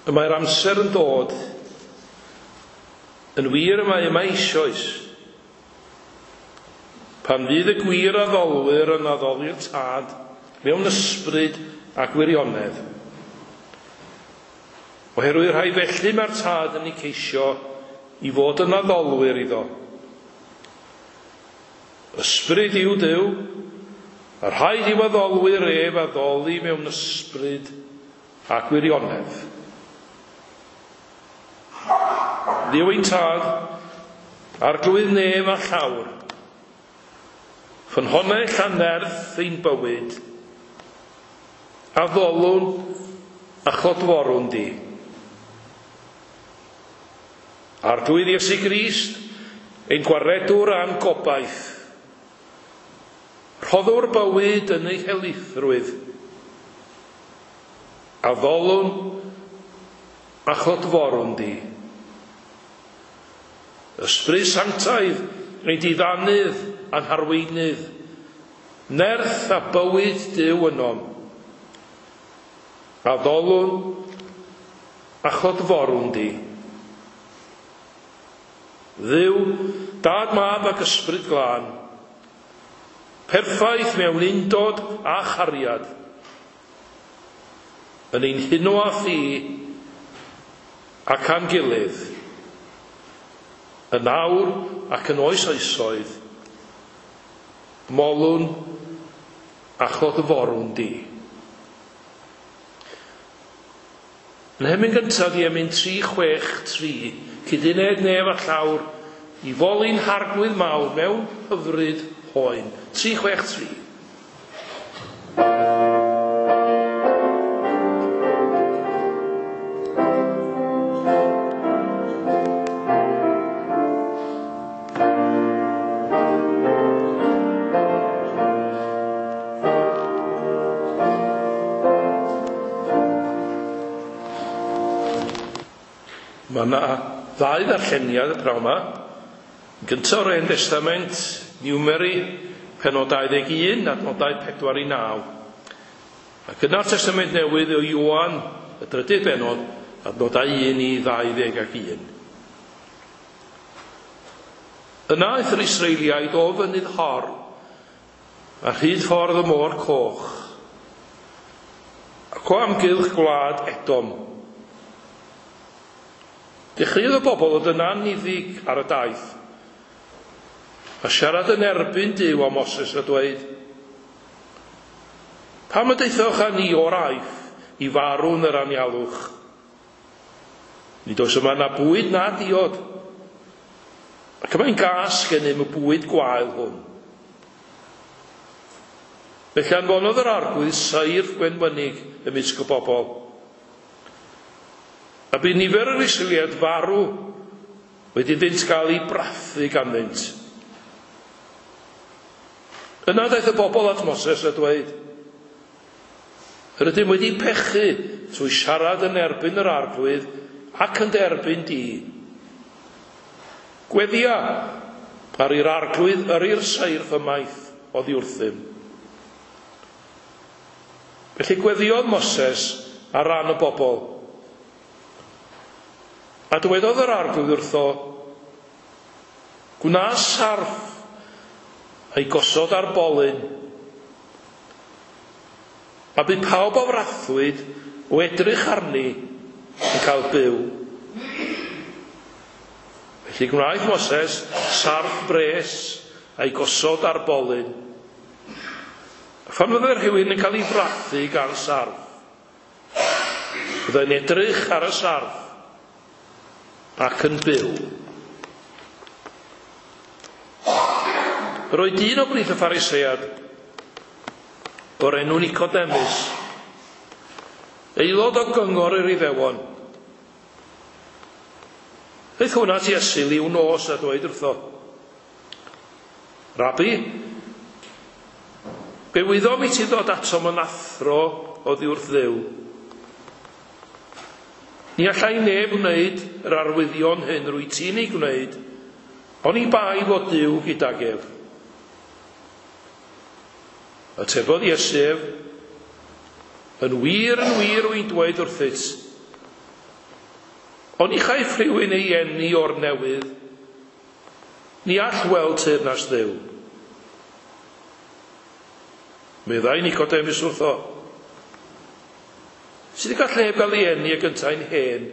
Y mae'r amser yn dod, yn wir y mae yma eisoes, pan fydd y gwir addolwyr yn addoli'r Tad mewn ysbryd a gwirionedd. Oherwydd rhai felly mae'r Tad yn eu ceisio i fod yn addolwyr iddo. Ysbryd yw Duw, a rhaid i'w addolwyr ef addoli mewn ysbryd a gwirionedd. Dduw ein Tad, Arglwydd nef a llawr, ffynhonnell a nerth ein bywyd, addolwn a chlodforwn di. Arglwydd Iesu Grist, ein gwaredwr a'n gobaith, rhoddwr bywyd yn ei helaethrwydd, addolwn a chlodforwn di. Ysbryd sanctaidd, ein diddanydd a'n harweinydd, nerth a bywyd Duw ynom. Addolwn a chlodforwn di. Dduw, Dad, Mab ac Ysbryd Glân, perffaith mewn undod a chariad, yn ein huno â thi ac â'n gilydd, yn awr ac yn oes oesoedd, molwn a chlodforwn di. Yn hemyn gyntaf di emyn 363, cyduned nef a llawr, i foli'n Harglwydd mawr mewn hyfryd hoen. 363. Mae yna ddau ddarlleniad y pnawn yma. Yn gyntaf o'r Hen Destament, Numeri, pennod 21, adnodau 4 i 9. Ac yna'r Testament Newydd o Ioan, y drydydd bennod, adnodau 1 i 21. Yna aeth yr Israeliaid o fynydd Hor, a rhyd ffordd y môr coch, ac o amgylch gwlad Edom. Dechreuodd y bobl ddod yn anniddig ar y daith, a siarad yn erbyn Duw a Moses a dweud, Pam y daethoch â ni o'r Aifft i farw yn yr anialwch? Nid oes yma na bwyd na diod, ac y mae'n gas gennym y bwyd gwael hwn. Felly anfonodd yr Arglwydd seirff gwenwynig ymysg y bobl. A bu nifer yr Israeliaid farw wedi iddynt gael eu brathu ganddynt. Yna daeth y bobl at Moses a dweud, Yr ydym wedi pechu trwy siarad yn erbyn yr Arglwydd ac yn derbyn di. Gweddia ar i'r Arglwydd yrru'r seirff ymaith oddi wrthym. Felly gweddiodd Moses ar ran y bobl. A dywedodd yr Arglwydd wrtho, Gwna sarff a'i gosod ar bolyn. A bu pawb a frathwyd o edrych arni yn cael byw. Felly gwnaeth Moses sarff bres a'i gosod ar bolyn. A phan fyddai rhywun yn cael ei frathu gan sarff, byddai'n edrych ar y sarff ac yn byw. Yr oedd dyn o blith y Pharisead o'r enw Nicodemus, aelod o gyngor yr Iddewon. Aeth hwn at Iesu liw nos a dweud wrtho, Rabi, fe wyddom i ti ddod atom yn athro oddi wrth Dduw. Ni allai neb wneud yr arwyddion hyn rwyt ti'n eu gwneud, oni bai fod Duw gydag ef. Atebodd Iesu ef, Yn wir, yn wir, rwy'n dweud wrthyt, Oni chaiff rhywun ei eni o'r newydd, ni all weld teyrnas Dduw. Meddai Nicodemus wrtho, sut y gall neb gael ei eni ag yntau'n hen?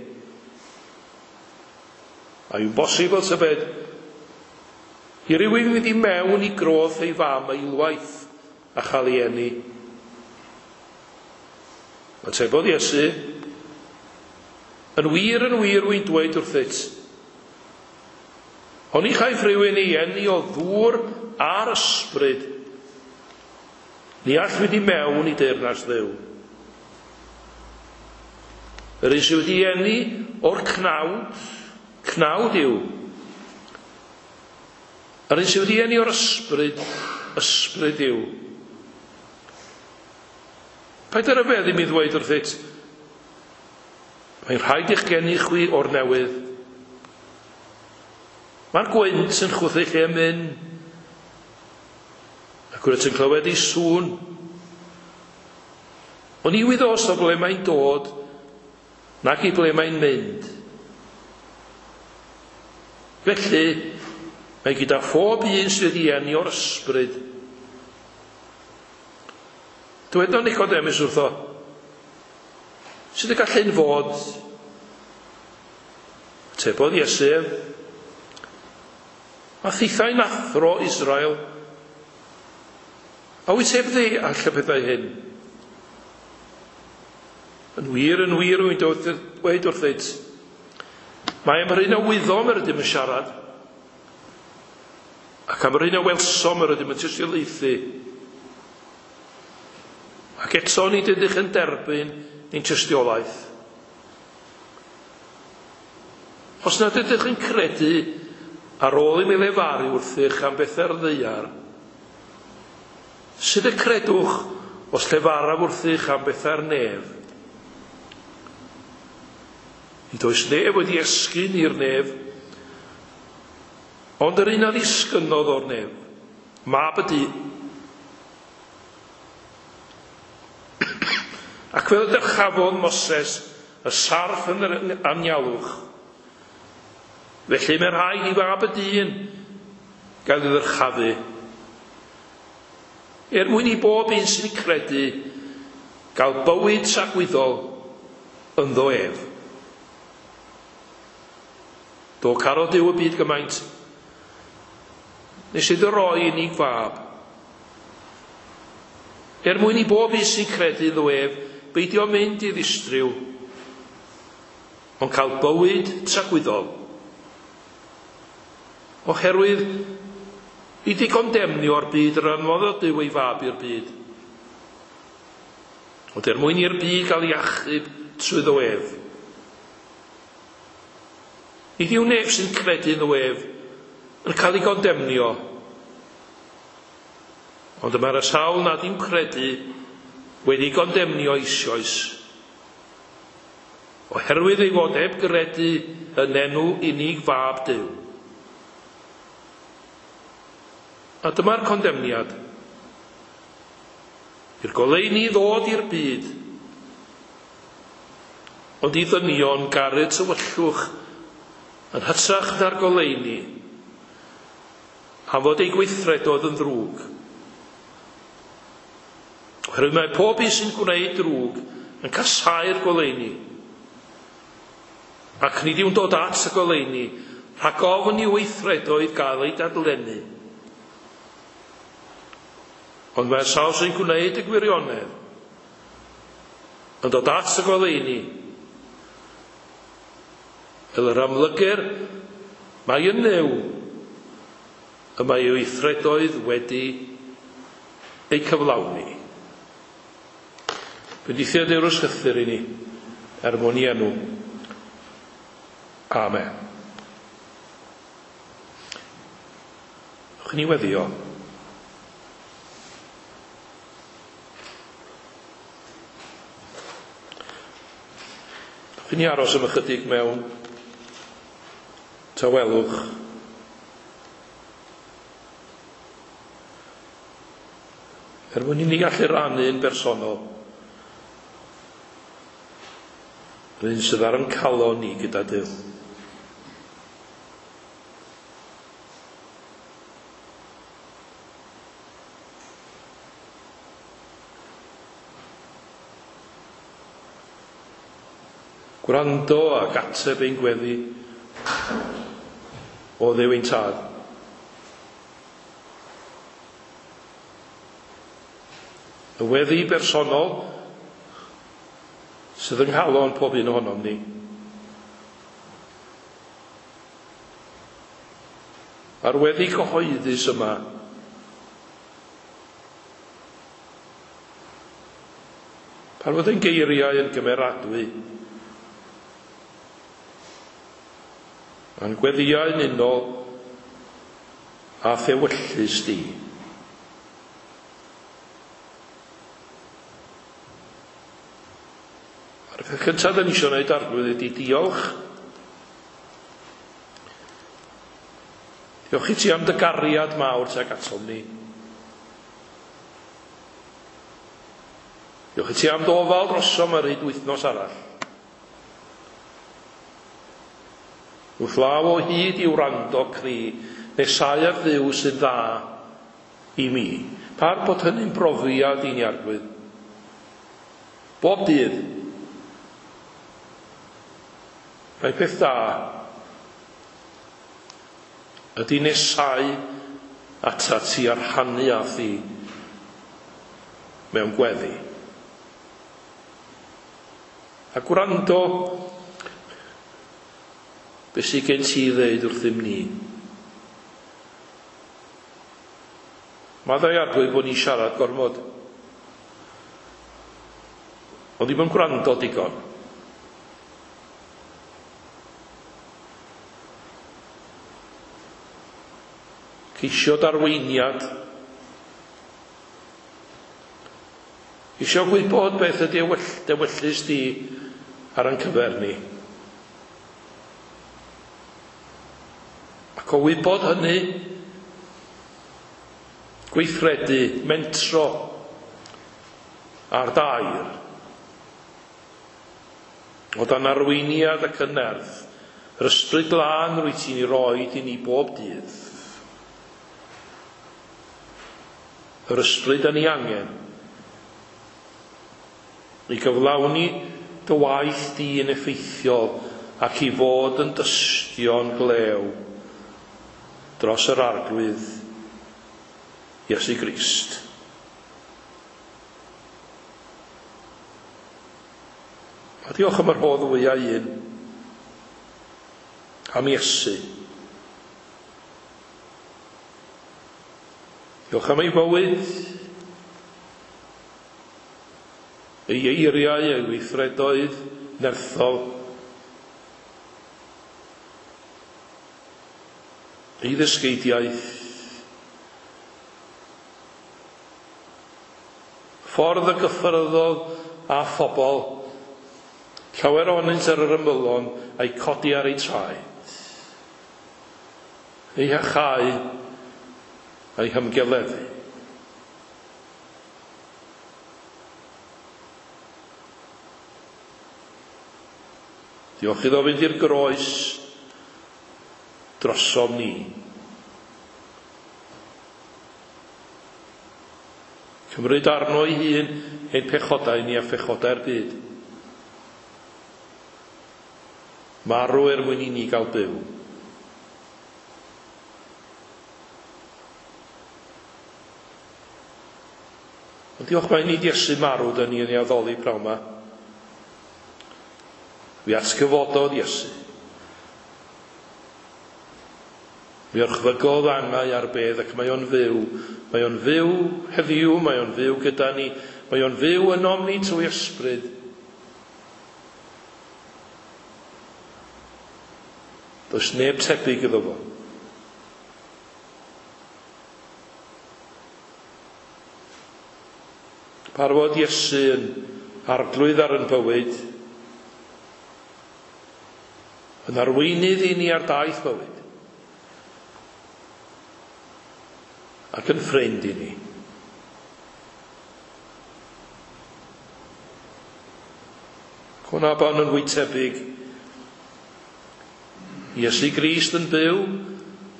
A yw'n bosibl tybed i rywun fynd i mewn i groth ei fam eilwaith a chael ei eni? Atebodd Iesu, Yn wir, yn wir, wy'n dweud wrthyt, oni chaiff rhywun ei eni o ddŵr a'r ysbryd, ni all fynd i mewn i deyrnas Dduw. Yr un sydd wedi eni o'r cnawd, cnawd yw. Yr un sydd wedi eni o'r ysbryd, ysbryd yw. Paid â rhyfeddu mi ddweud wrthyt, mae'n rhaid i'ch geni chwi o'r newydd. Mae'r gwynt yn chwythu lle myn, ac wyt yn clywed ei sŵn. Ond ni wyddost o ble mae'n dod, nac i ble mae'n mynd. Felly, mae gyda phob un sydd wedi eni o'r ysbryd. Dywedodd Nicodemus wrtho, sut y gall hyn fod? Atebodd Iesu ef, a thithau'n athro Israel, a wyt heb ddeall y pethau hyn? Yn wir, yn wir, rwy'n dweud wrthyt, mae am yr hyn a wyddom yr ydym yn siarad, ac am yr hyn a welsom yr ydym yn tystiolaethu. Ac eto nid ydych yn derbyn ein tystiolaeth. Os nad ydych yn credu ar ôl i mi lefaru wrthych am bethau'r ddaear, sut y credwch os llefaraf wrthych am bethau'r nef? Nid oes neb wedi esgyn i'r nef, ond yr un a ddisgynnodd o'r nef, Mab y dyn. Ac fel y dyrchafodd Moses y sarff yn yr anialwch, felly mae rhaid i Fab y dyn gael ei ddyrchafu, er mwyn i bob un sy'n credu gael bywyd tragwyddol ynddo ef. Do carodd Duw y byd gymaint, nes iddo roi unig fab, er mwyn i bob un sy'n credu ynddo ef beidio mynd i ddistryw, ond cael bywyd tragwyddol. Oherwydd nid i gondemnio'r byd yr anfonodd Duw ei fab i'r byd, ond er mwyn i'r byd gael ei achub trwyddo ef. Nid yw neb sy'n credu ynddo ef yn cael ei gondemnio, ond y mae'r sawl nad yw'n credu wedi gondemnio eisoes, oherwydd ei fod heb gredu yn enw unig fab Duw. A dyma'r condemniad. I'r goleuni ddod i'r byd, ond i ddynion garu tywyllwch yn hytrach na'r goleuni, am fod ei gweithredoedd yn ddrwg. Oherwydd mae pob un sy'n gwneud drwg yn casáu'r goleuni, ac nid yw'n dod at y goleuni, rhag ofn i'w weithredoedd gael eu dadlennu. Ond mae'r sawl sy'n gwneud y gwirionedd yn dod at y goleuni, fel yr amlygir, mae yn Nuw y mae ei weithredoedd wedi eu cyflawni. Bendithio Duw'r ysgythyr i ni, er mwyn i enw. Amen. Ewch i ni weddio. Ewch i ni aros am ychydig mewn tawelwch. Er mwyn i ni allu rannu'n bersonol. Yr un sydd ar ein calon ni gyda Duw. Gwrando ac ateb ein gweddi o Dduw ein Tad. Y weddi bersonol sydd yng nghalon pob un ohonom ni. A'r weddi cyhoeddus yma pan fod ein geiriau yn gymeradwy a'n gweddïau yn unol a thewyllys di. A'r peth cyntaf da ni eisiau gwneud, Arglwydd, ydy diolch. Diolch i ti am dy gariad mawr tuag atom ni. Diolch i ti am dy ofal drosom ar hyd wythnos arall. Wrth law o hyd i wrando cri, nesau at Dduw sy'n dda i mi. Par bod hynny'n brofiad i ni, Arglwydd. Bob dydd. Mae peth da ydy nesau atat ti a rhannu â thi mewn gweddi. A gwrando beth sydd gen ti i ddeud wrthym ni. Maddau, Arglwydd, bod ni'n siarad gormod. Ond ddim yn gwrando digon. Ceisio darweiniad. Eisiau gwybod beth ydy dewyllys di ar ein cyfer ni. Ac o wybod hynny, gweithredu, mentro ar dair. O dan arweiniad ac yn nerth, yr Ysbryd Glân rwyt ti'n ei roed i ni bob dydd. Yr ysbryd yn ei angen i gyflawni dy waith di yn effeithiol ac i fod yn dystion glew dros yr Arglwydd Iesu Grist. A diolch am yr rhodd fwyaf un, am Iesu. Diolch am ei fywyd, ei eiriau, ei weithredoedd nerthol, ei ddysgeidiaeth, ffordd y gyffyrddodd â phobl, llawer ohonynt ar yr ymylon, a'i codi ar eu traed, ei hachau, a'i hymgeleddu. Diolch iddo fynd i'r groes drosom ni. Cymryd arno ei hun ein pechodau ni a phechodau'r byd. Marw er mwyn i ni gael byw. Ond diolch mai nid Iesu marw dyn ni yn ei addoli prawn ma. Mi atgyfododd Iesu. Mi orchfygodd angau ar bedd ac mae o'n fyw. Mae o'n fyw heddiw, mae o'n fyw gyda ni, mae o'n fyw ynom ni trwy ysbryd. Does neb tebyg iddo fo. Parfod Iesu yn arglwydd ar yn bywyd, yn arweinydd i ni ar daith bywyd, ac yn ffrind i ni. Cwnaban yn fwy tebyg. Iesu Grist yn byw,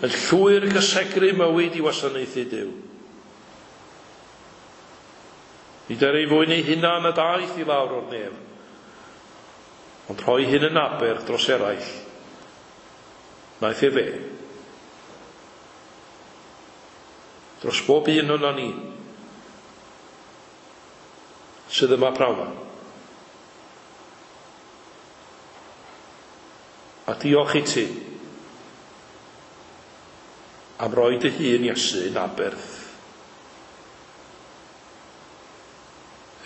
yn llwyr gysegru mywyd i wasanaethu Duw. Nid er ei fwyn ei hunan y daeth i lawr o'r nef, ond rhoi hyn yn aberth dros eraill. Wnaeth e fe. Dros bob un ohonon ni sydd yma prawn 'ma. A diolch i ti am roi dy hun, Iesu, yn aberth.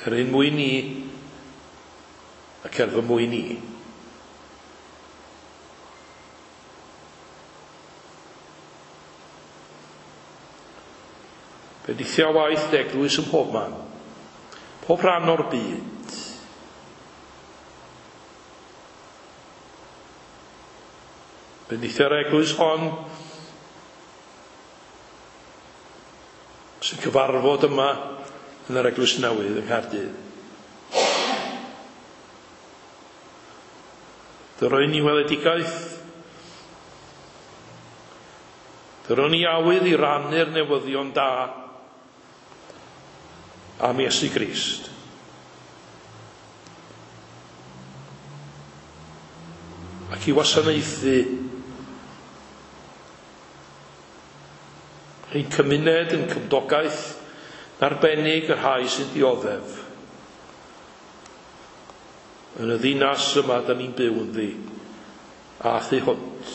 Er ein mwyn ni ac er fy mwyn i. Bendithia waith dy eglwys ym mhob man, pob rhan o'r byd. Bendithia'r eglwys hon sy'n cyfarfod yma yn yr eglwys newydd yng Nghaerdydd. Dy roi ni weledigaeth. Dy roi ni awydd i rannu'r newyddion da am Iesu Grist. Ac i wasanaethu ein cymuned, yn cymdogaeth, yn arbennig y rhai sy'n dioddef yn y ddinas yma da ni'n byw ynddi a thu hwnt.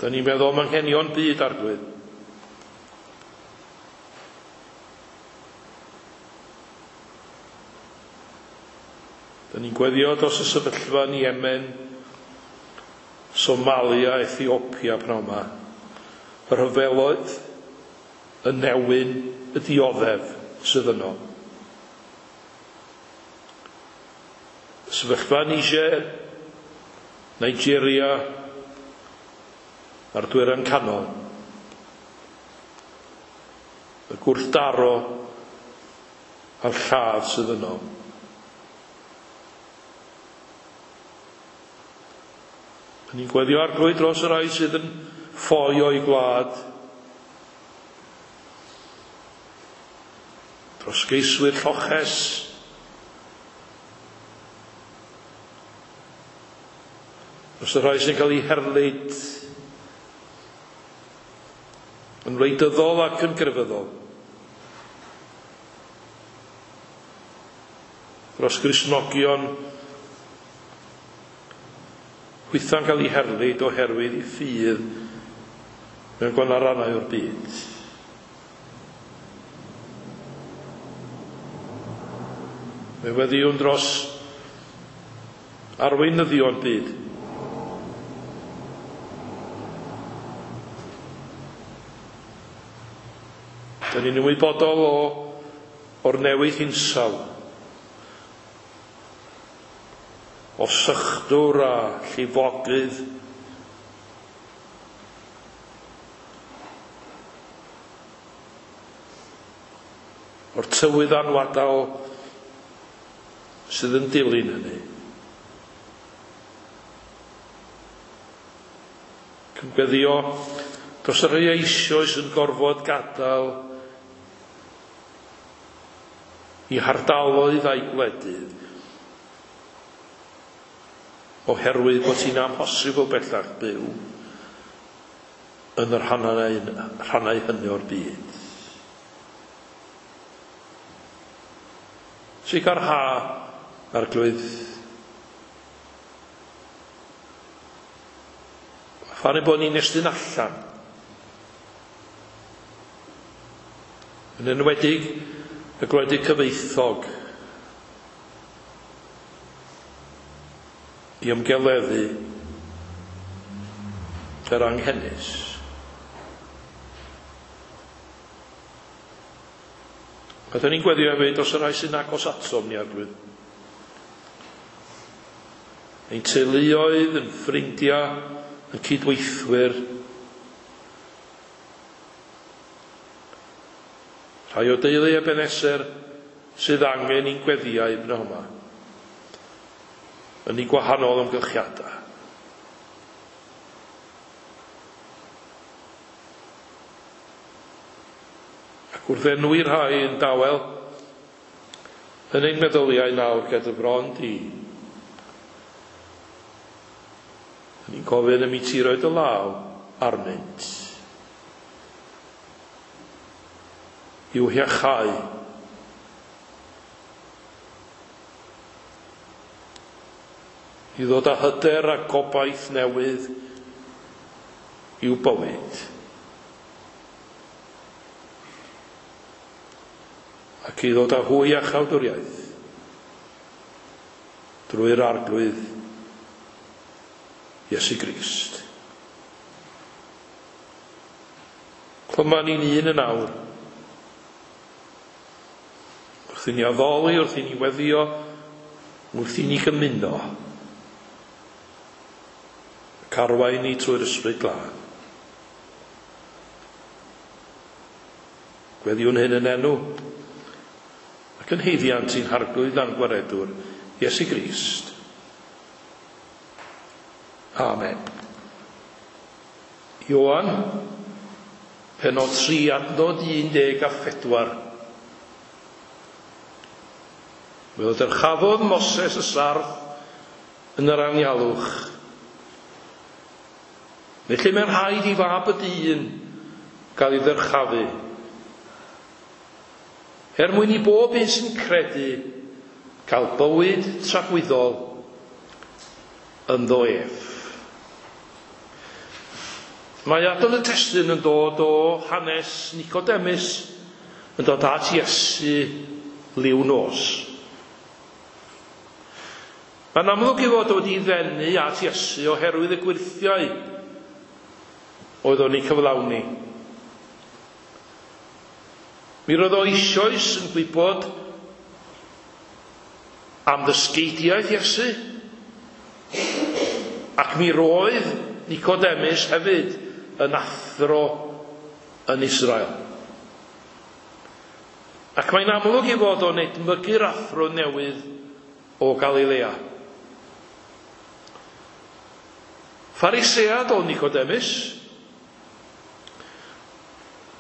Da ni'n meddwl am anghenion byd, Arglwydd. Da ni'n gweddio dros y sefyllfa yn Yemen, Somalia, Ethiopia pnawn 'ma. Y rhyfeloedd, y newyn, y dioddef sydd yno. Y sefyllfa yn Niger, Nigeria, a'r Dwyrain Canol. Y gwrthdaro a'r lladd sydd yno. Da ni'n gweddio Arglwydd dros y rhai sydd yn ffoi o'i gwlad, dros geiswyr lloches, dros y rhai sy'n cael eu herlid yn wleidyddol ac yn grefyddol, dros Gristnogion hwytha'n cael eu herlid oherwydd eu ffydd mewn gwahanol rannau o'r byd. Fe weddïwn dros arweinyddion byd. Da ni'n ymwybodol o o'r newid hinsawdd, o sychdwr a llifogydd, o'r tywydd anwadal sydd yn dilyn hynny. Cyn gweddio dros y rhai eisoes yn gorfod gadael i hardaloedd a'i gwledydd oherwydd bod hi'n amhosibl bellach byw yn y rhannau hynny o'r byd. Sicrha, Arglwydd, phan ein bod ni'n estyn allan, yn enwedig y gwledydd cyfoethog, i ymgeleddu yr anghenus. A dyn ni'n gweddio hefyd dros y rhai sy'n agos atom ni, Arglwydd. Ein teuluoedd, yn ffrindiau, yn cydweithwyr. Rhai o deulu Ebeneser sydd angen i'n gweddiau brynhawn yma. Yn ei gwahanol amgylchiadau. Ac wrth enwi rhai yn dawel, yn ein meddyliau nawr ger dy bron di, ni'n gofyn am i ti roi dy law arnynt. I'w hiachau. I ddod â hyder a gobaith newydd i'w bywyd. Ac i ddod â hwy â chawdwriaeth drwy'r Arglwydd Iesu Grist. Clyma ni'n un yn awr. Wrth i ni addoli, wrth i ni weddio, wrth i ni gymuno. Ac arwain ni trwy'r Ysbryd Glân. Gweddiwn hyn yn enw ac yn haeddiant i'n Harglwydd a'n Gwaredwr, Iesu Grist. Amen. Ioan, pennod 3, adnod 14. Fel dyrchafodd Moses y sarff yn yr anialwch. Felly mae'n rhaid i fab y dyn gael ei ddyrchafu. Er mwyn i bob un sy'n credu cael bywyd tragwyddol ynddo ef. Mae adnod y testun yn dod o hanes Nicodemus yn dod at Iesu liw nos. Mae'n amlwg ei fod wedi ddenu at Iesu oherwydd y gwyrthiau oedd o'n ei cyflawni. Mi roedd o eisoes yn gwybod am ddysgeidiaeth Iesu, ac mi roedd Nicodemus hefyd yn athro yn Israel. Ac mae'n amlwg ei fod o'n edmygu'r athro newydd o Galilea. Pharisead o Nicodemus,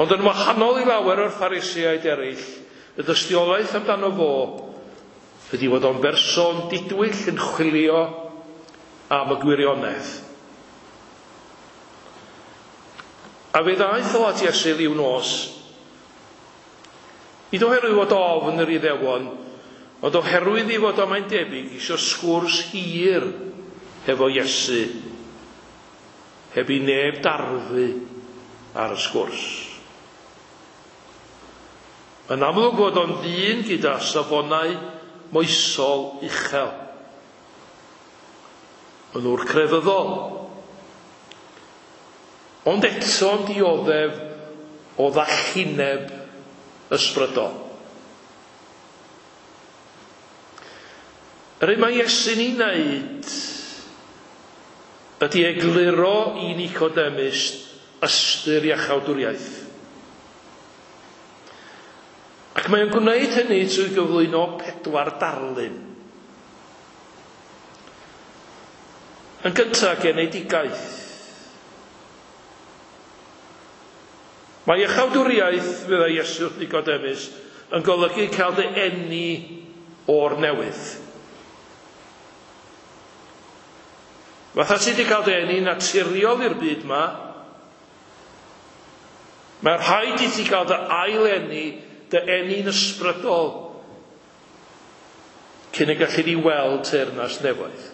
ond yn wahanol i lawer o'r Phariseaid eraill, y dystiolaeth amdano fo ydy fod o'n berson didwyll yn chwilio am y gwirionedd. A fe ddaeth o at Iesu liw nos, nid oherwydd fod ofn yr Iddewon, ond oherwydd ei fod o mae'n debyg eisiau sgwrs hir hefo Iesu, heb i neb darfu ar y sgwrs. Yn amlwg fod o'n ddyn gyda safonau moesol uchel. Yn ŵr crefyddol. Ond eto'n dioddef o ddallineb ysbrydol. Yr hyn mae Iesu'n ei wneud ydy egluro i Nicodemus ystyr iachawdwriaeth. Ac mae'n gwneud hynny trwy gyflwyno 4 darlun. Yn gyntaf, genedigaeth. Mae iachawdwriaeth, meddai Iesu wrth Nicodemus, yn golygu cael dy eni o'r newydd. Fatha ti wedi cael dy eni naturiol i'r byd ma, mae rhaid i ti gael dy ail-eni, dy eni'n ysbrydol, cyn y gallu di weld teyrnas nefoedd.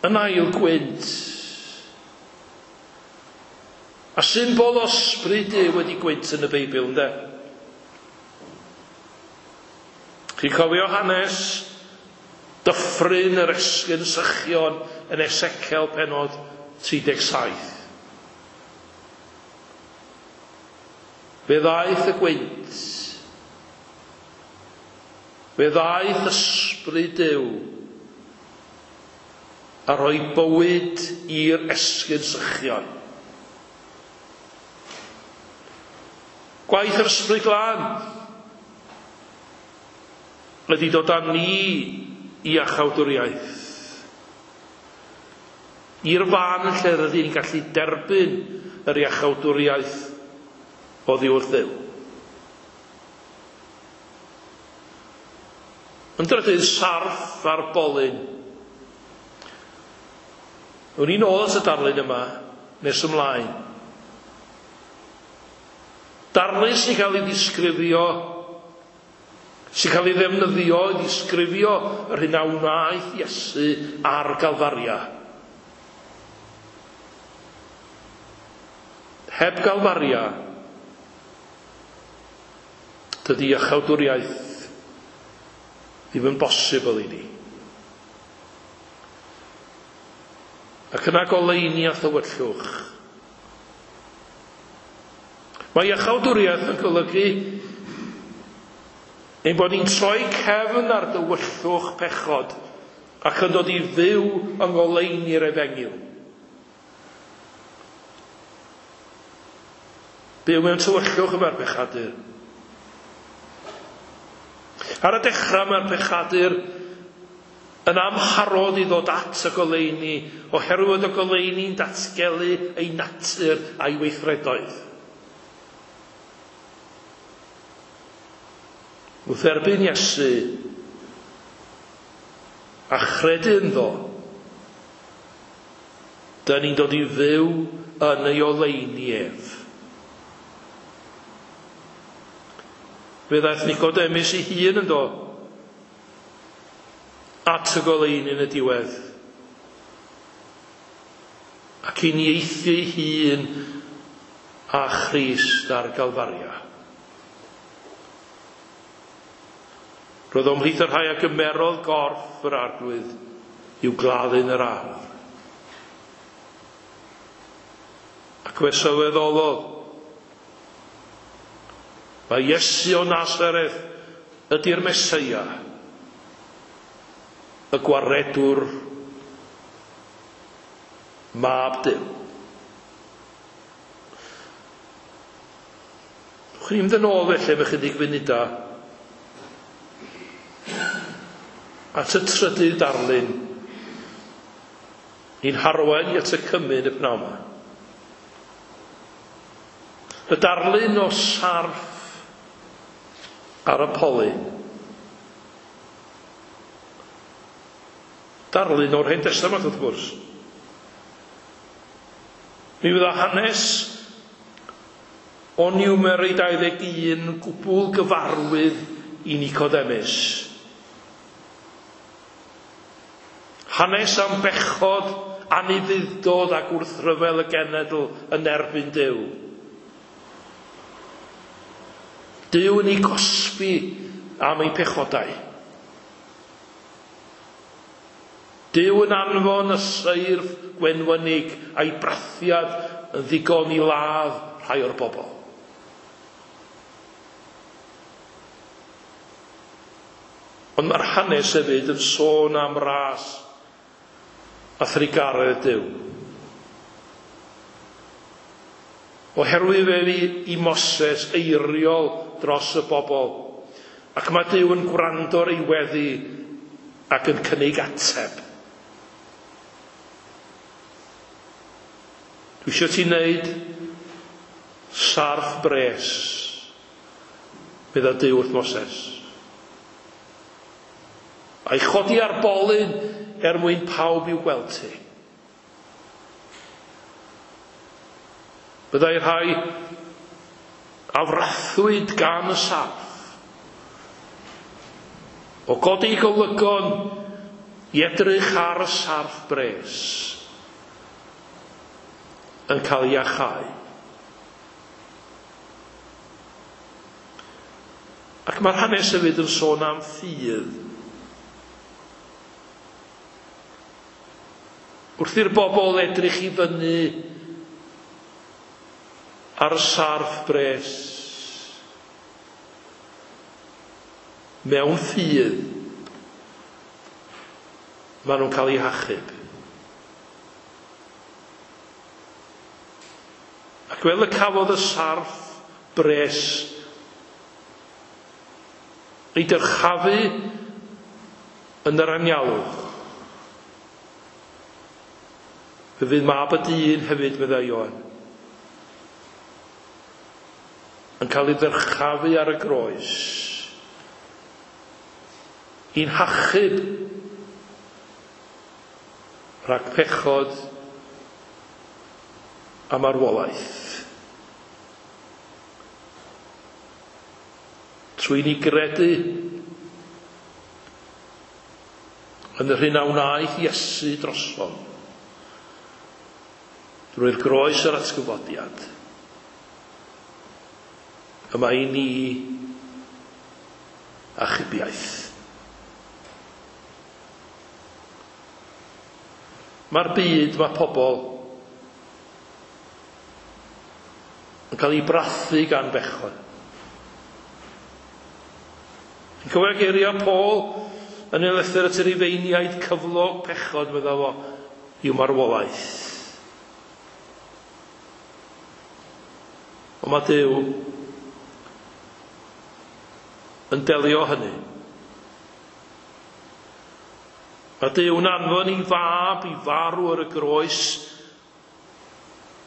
Yn ail gwynt, a symbol o ysbryd Duw wedi gwynt yn y Beibl, ynde? Chi'n cofio hanes dyffryn yr esgyrn sychion yn Ezekiel pennod 37. Fe ddaeth y gwynt. Fe ddaeth ysbryd Duw a rhoi bywyd i'r esgyrn sychion. Gwaith yr Ysbryd Glân ydy dod â ni i iachawdwriaeth. I'r fan lle rydyn ni'n gallu derbyn yr iachawdwriaeth oddi wrth Dduw. Yn drydydd, sarff ar bolyn. Wn i'n ôl at y darlun yma nes ymlaen. Darlun sy'n cael ei ddisgrifio, sy'n cael ei ddefnyddio i ddisgrifio yr hyn a wnaeth Iesu ar Galfaria. Heb Galfaria, dydy iachawdwriaeth ddim yn bosibl i ni. Ac yna goleuni a thywyllwch. Mae iachawdwriaeth yn golygu ein bod ni'n troi cefn ar dywyllwch pechod ac yn dod i fyw yng ngoleuni'r efengyl. Byw mewn tywyllwch yma'r pechadur. Ar y dechrau mae'r pechadur yn amharod i ddod at y goleuni oherwydd y goleuni'n datgelu ei natur a'i weithredoedd. Wrth erbyn Iesu a chredu ynddo, dyn ni'n dod i fyw yn ei oleuni ef. Fe ddaeth Nicodemus ei hun ynddo at y goleuni yn y diwedd. Ac uniaethu ei hun â Christ ar Galfaria. Roedd o ymhlith y rhai a gymerodd gorff yr Arglwydd i'w gladdu yn yr ardd. Ac fe sylweddolodd mae Iesu o Nazareth ydy'r Meseia, y gwaredwr, mab Duw. Chwn i'n mynd yn ôl felly am ychydig funudau at y trydydd darlun i'n harwain i at y cymun y pnawn yma. Y darlun o sarff ar y polyn. Darlun o'r Hen Testament wrth gwrs. Mi fydda hanes o Niwmeri 21 gwbl gyfarwydd i Nicodemus. Hanes am bechod, anufudd-dod ac wrthryfel y genedl yn erbyn Duw. Duw yn ei gosbi am ei pechodau. Duw yn anfon y seirff gwenwynig a'i brathiad yn ddigon i ladd rhai o'r bobl. Ond mae'r hanes hefyd yn sôn am ras a thrugaredd Duw. Oherwydd fe fu i Moses eiriol dros y bobl, ac mae Duw yn gwrando ar ei weddi ac yn cynnig ateb. Dwi eisiau ti wneud sarff bres, medda Duw wrth Moses. A'i chodi ar bolyn er mwyn pawb i'w gweld ti. Byddai rhai a frathwyd gan y sarff o godi golygon i edrych ar y sarff bres yn cael ei iachau. Ac mae'r hanes hefyd yn sôn am ffydd. Wrth i'r bobl edrych i fyny ar y sarff bres, mewn ffydd, maen nhw'n cael eu hachub. Ac fel y cafodd y sarff bres, ei dyrchafu yn yr anialwch. Fe fydd mab y dyn hefyd, meddai Ioan, yn cael ei ddyrchafu ar y groes i'n hachub rhag pechod a marwolaeth. Trwy ni gredu yn yr hyn a wnaeth Iesu drosom, drwy'r groes yr atgyfodiad, y mae i ni achubiaeth. Mae'r byd, mae pobl yn cael ei brathu gan bechod. Yn cofio geiriau Paul yn ei lythyr at yr Rufeiniaid, cyflog pechod, meddai fo, yw marwolaeth. Ond mae Duw yn delio hynny. Mae Duw'n anfon ei fab i farw ar y groes,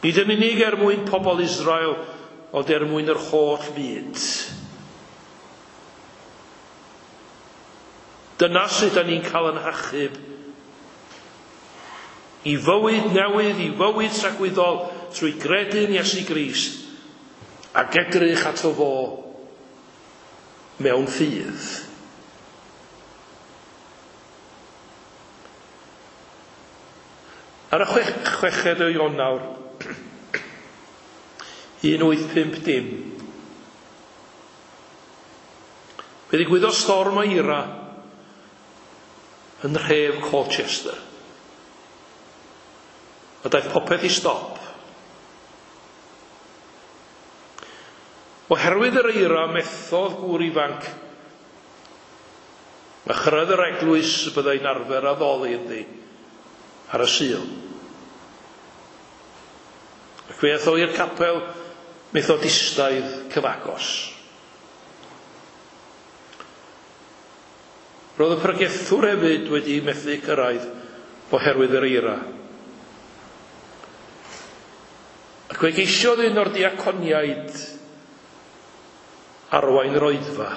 nid yn unig er mwyn pobl Israel, ond er mwyn yr holl fyd. Dyna sut da ni'n cael yn hachub i fywyd newydd, i fywyd tragwyddol, trwy gredu'n Iesu Grist ac edrych ato fo mewn ffydd. Ar y 6 o Ionawr 1850, fe ddigwyddodd storm o eira yn nhref Colchester. A daeth popeth i stop. Oherwydd yr eira, methodd gŵr ifanc a chyrraedd yr eglwys y byddai'n arfer addoli ynddi ar y Sul. Ac fe aeth o i'r capel Methodistaidd cyfagos. Roedd y pregethwr hefyd wedi methu cyrraedd oherwydd yr eira. Ac fe geisiodd un o'r diaconiaid arwain yr oedfa.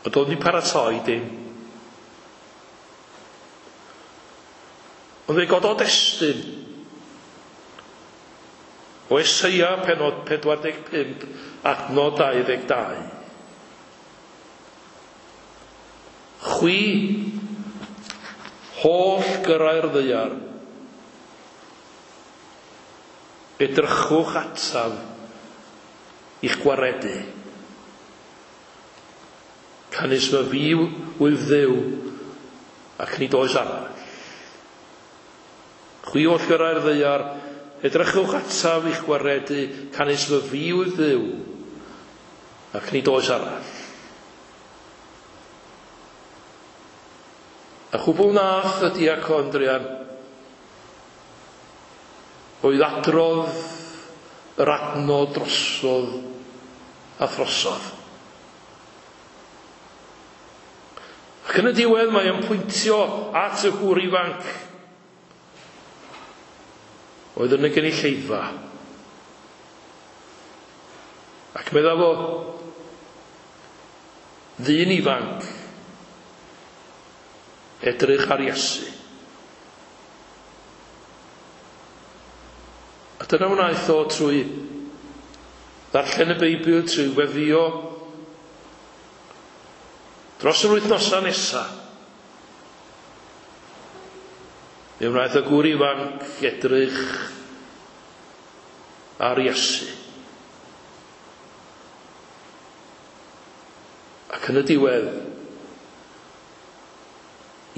Ond doedd wedi paratoi dim. Ond fe gododd destun o Eseia pennod 45 adnod 22. Chwi, holl gyrrau'r ddaear, edrychwch ataf i'ch gwaredu. Canys fy fi wyf Dduw, ac nid oes arall. Chwi oll gyrrau'r ddaear, edrychwch ataf i'ch gwaredu, canys fy fi wyf Dduw, ac nid oes arall. A chwbl nath y diacon druan oedd adrodd yr adnod drosodd a throsodd. Ac yn y diwedd mae o'n pwyntio at y gŵr ifanc oedd yn y gynulleidfa. Ac medda fo, ddyn ifanc, edrych ar Iesu. A dyna wnaeth o trwy ddarllen y Beibl, trwy weddio dros yr wythnosau nesaf. Fe wnaeth y gŵr ifanc edrych ar Iesu. Ac yn y diwedd,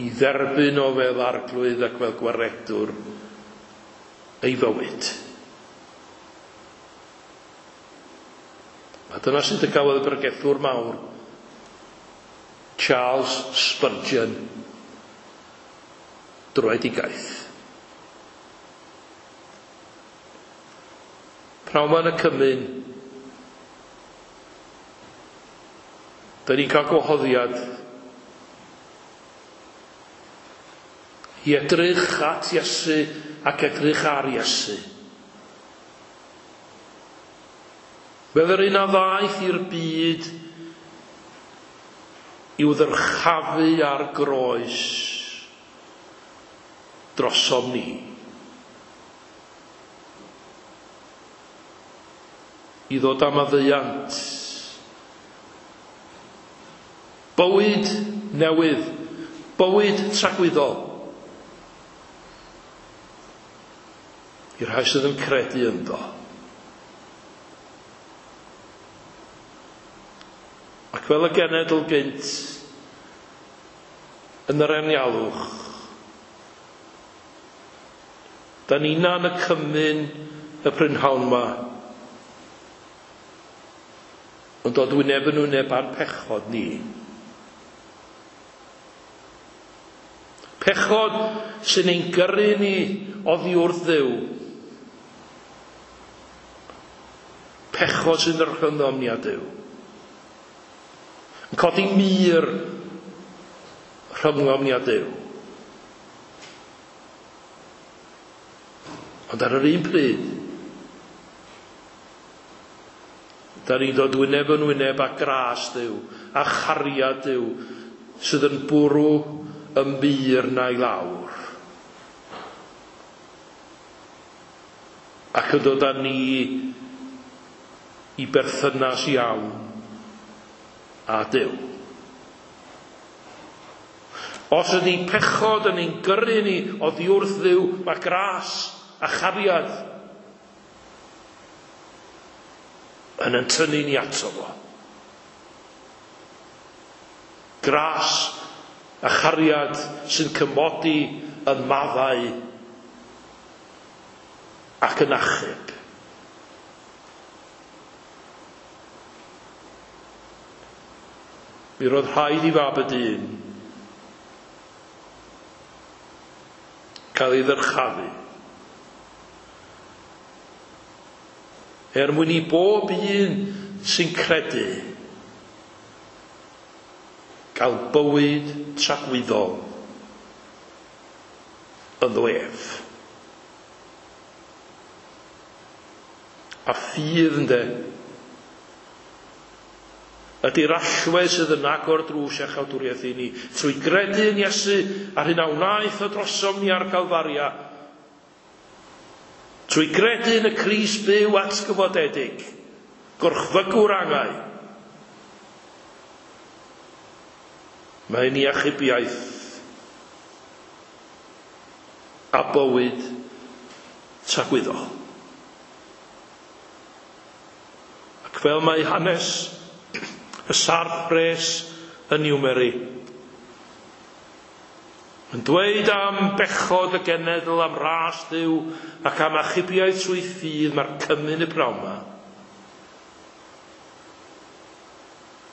i dderbyn o fel arglwydd ac fel gwaredwr ei fywyd. A dyna sut y gafodd y bregethwr mawr, Charles Spurgeon, dröedigaeth. Pnawn 'ma yn y cymun, da ni'n cael gwahoddiad i edrych at Iesu ac edrych ar Iesu. Fel yr un a ddaeth i'r byd i'w ddyrchafu ar groes drosom ni. I ddod â maddeuant. Bywyd newydd, bywyd tragwyddol. I'r rhai sydd yn credu ynddo. Ac fel y genedl gynt yn yr anialwch, da ni'n yn y cymun y prynhawn 'ma yn dod wyneb yn wyneb â'n pechod ni. Pechod sy'n ein gyrru ni oddi wrth Dduw. Pechod sy'n rhyngddom ni a Duw. Yn codi mur rhyngom ni a Duw. Ond ar yr un pryd, da ni'n dod wyneb yn wyneb â gras Duw, a chariad Duw, sydd yn bwrw y mur 'na i lawr. Ac yn dod â ni i berthynas iawn â Duw. Os ydy pechod yn ein gyrru ni oddi wrth Dduw, mae gras a chariad yn yn tynnu ni ato fo. Gras a chariad sy'n cymodi, yn maddau ac yn achub. Mi roedd rhaid i Fab y Dyn cael ei ddyrchafu er mwyn i bob un sy'n credu gael bywyd tragwyddol ynddo ef. A ffydd, ynde, ydy'r allwedd sydd yn agor drws iachawdwriaeth i ni. Trwy gredu yn Iesu a'r hyn a wnaeth o drosom ni ar Galfaria. Trwy gredu yn y Crist byw atgyfodedig, gorchfygwr angau. Mae ni achubiaeth a bywyd tragwyddol. Ac fel mae hanes y sarff bres yn Niwmeri yn dweud am bechod y genedl, am ras Dduw ac am achubiaeth trwy ffydd, mae'r cymun y pnawn 'ma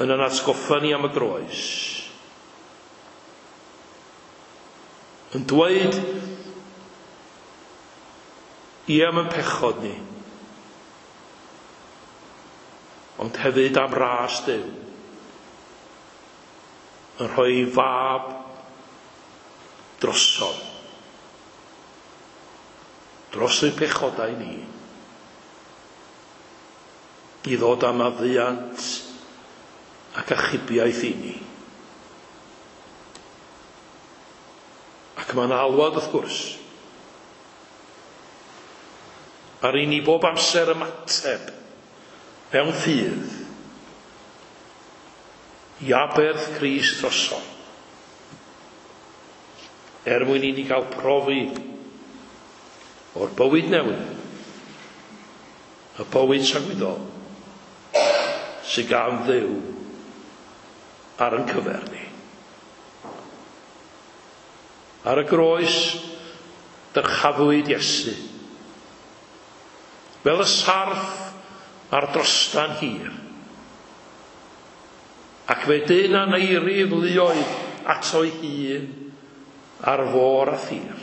yn yn atgoffa ni am y groes. Yn dweud ie am y pechod ni, ond hefyd am ras Duw, yn rhoi fab drosom, dros ein pechodau ni, i ddod â maddeuant ac achubiaeth i ni. Ac mae'n alwad, wrth gwrs, ar i ni bob amser ymateb mewn ffydd i aberth Crist drosom, er mwyn i ni gael profi o'r bywyd newydd, y bywyd tragwyddol sydd gan Dduw ar yn cyfer ni. Ar y groes, dyrchafwyd Iesu fel y sarff ar drostan hir. Ac fe dyn aneirif luoedd ato'i hun ar fôr a thir.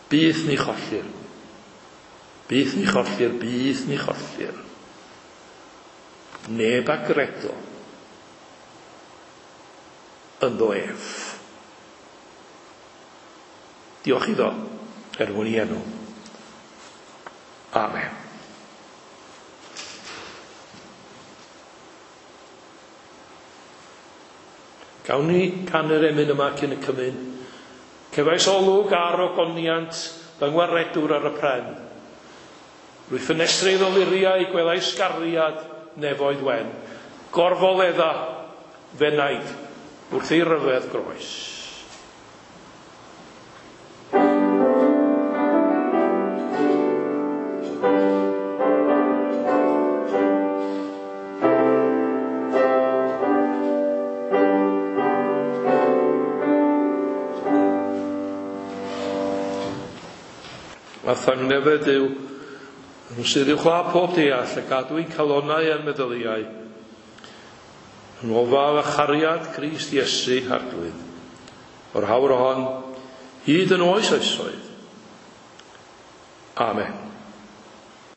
Byth ni chollir. Byth ni chollir, byth ni chollir. Neb a gredo ynddo ef. Diolch iddo er mwyn i enw. Amen. Gawn ni canu'r emyn yma cyn y cymun. Cefais olwg ar ogoniant fy ngwaredwr ar y pren. Rwy ffenestri ddoluriau gwelais gariad nefoedd wen. Gorfoledda fenaid wrth ei ryfedd groes. A thangnefedd yw nhw sydd i'w chla pob deall a gadw i'n calonnau a'n meddyliau yn ofal a chariad Crist Iesu Arglwydd o'r hawr hon hyd yn oes oesoedd. Amen.